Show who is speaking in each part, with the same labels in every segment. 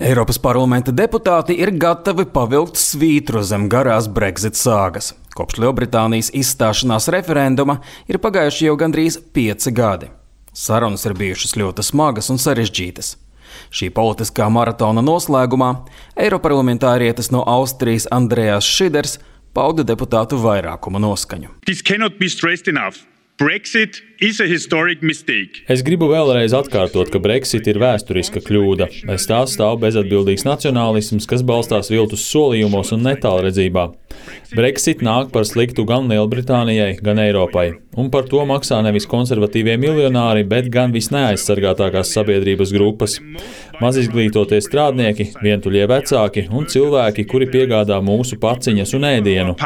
Speaker 1: Eiropas parlamenta deputāti ir gatavi pavilkt svītru zem garās Brexit sāgas. Kopš Lielbritānijas izstāšanās referenduma ir pagājuši jau gandrīz 5 gadi. Sarunas ir bijušas ļoti smagas un sarežģītas. Šī politiskā maratona noslēgumā eiroparlamentārietis no Austrijas Andreas Šiders pauda deputātu vairākuma noskaņu.
Speaker 2: Brexit is a historic mistake.
Speaker 3: Es gribu vēlreiz atkārtot, ka Brexit ir vēsturiska kļūda. Aiz tā stāv bezatbildīgs nacionālisms, kas balstās viltus solījumos un netālredzībā. Brexit nāk par sliktu gan Lielbritānijai, gan Eiropai. Un par to maksā nevis konservatīvie miljonāri, bet gan visneaizsargātākās sabiedrības grupas. Mazizglītotie strādnieki, vientuļie vecāki un cilvēki, kuri piegādā mūsu paciņas un ēdienu.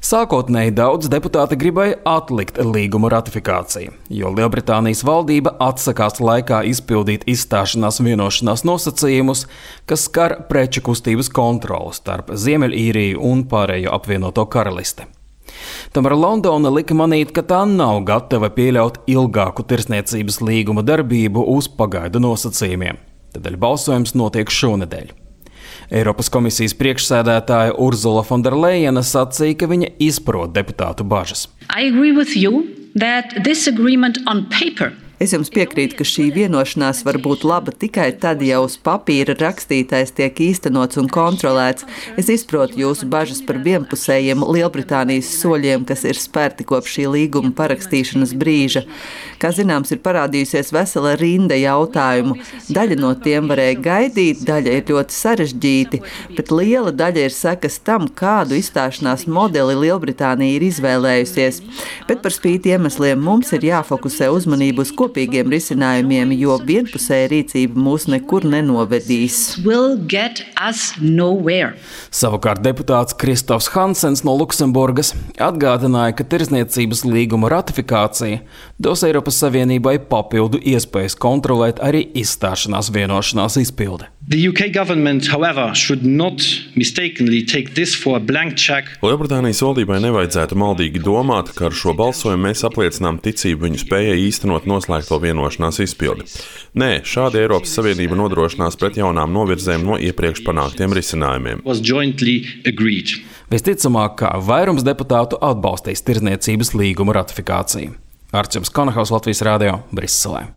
Speaker 1: Sākotnēji daudz deputāti gribēja atlikt līguma ratifikāciju, jo Lielbritānijas valdība atsakās laikā izpildīt izstāšanās vienošanās nosacījumus, kas skar preču kustības kontroli starp Ziemeļīriju un pārējo apvienoto karalisti. Tomēr Londona lika manīt, ka tā nav gatava pieļaut ilgāku tirdzniecības līguma darbību uz pagaidu nosacījumiem. Tādēļ balsojums notiek šonedēļ. Eiropas komisijas priekšsēdētāja Urzula Fonderlejena sacīja, ka viņa izprot deputātu bažas.
Speaker 4: Es jums piekrītu, ka šī vienošanās var būt laba tikai tad, ja uz papīra rakstītais tiek īstenots un kontrolēts. Es izprotu jūsu bažas par vienpusējiem Lielbritānijas soļiem, kas ir spērti kopš šī līguma parakstīšanas brīža. Kā zināms, ir parādījusies vesela rinda jautājumu. Daļa no tiem varēja gaidīt, daļa ir ļoti sarežģīti, bet liela daļa ir sekas tam, kādu izstāšanās modeli Lielbritānija ir izvēlējusies. Bet par spīti iemesliem mums ir jāfokusē uzmanību uz kopīgiem risinājumiem, jo vienpusēja rīcība mūs nekur nenovedīs.
Speaker 1: Savukārt deputāts Kristofs Hansens no Luksemburgas atgādināja, ka tirdzniecības līguma ratifikācija dos Eiropas Savienībai papildu iespējas kontrolēt arī izstāšanās vienošanās izpildi.
Speaker 5: The UK government, however, should not mistakenly take this for a blank check.
Speaker 6: Lielbritānijas valdībai nevajadzētu maldīgi domāt, ka ar šo balsojumu mēs apliecinām ticību viņu spējai īstenot noslēgto vienošanās izpildi. Nē, šādi Eiropas Savienība nodrošinās pret jaunām novirzēm no iepriekš panāktiem risinājumiem.
Speaker 1: Visticamāk, ka vairums deputātu atbalstīs tirdzniecības līguma ratifikāciju. Arčuns Konahaus, Latvijas radio, Briselē.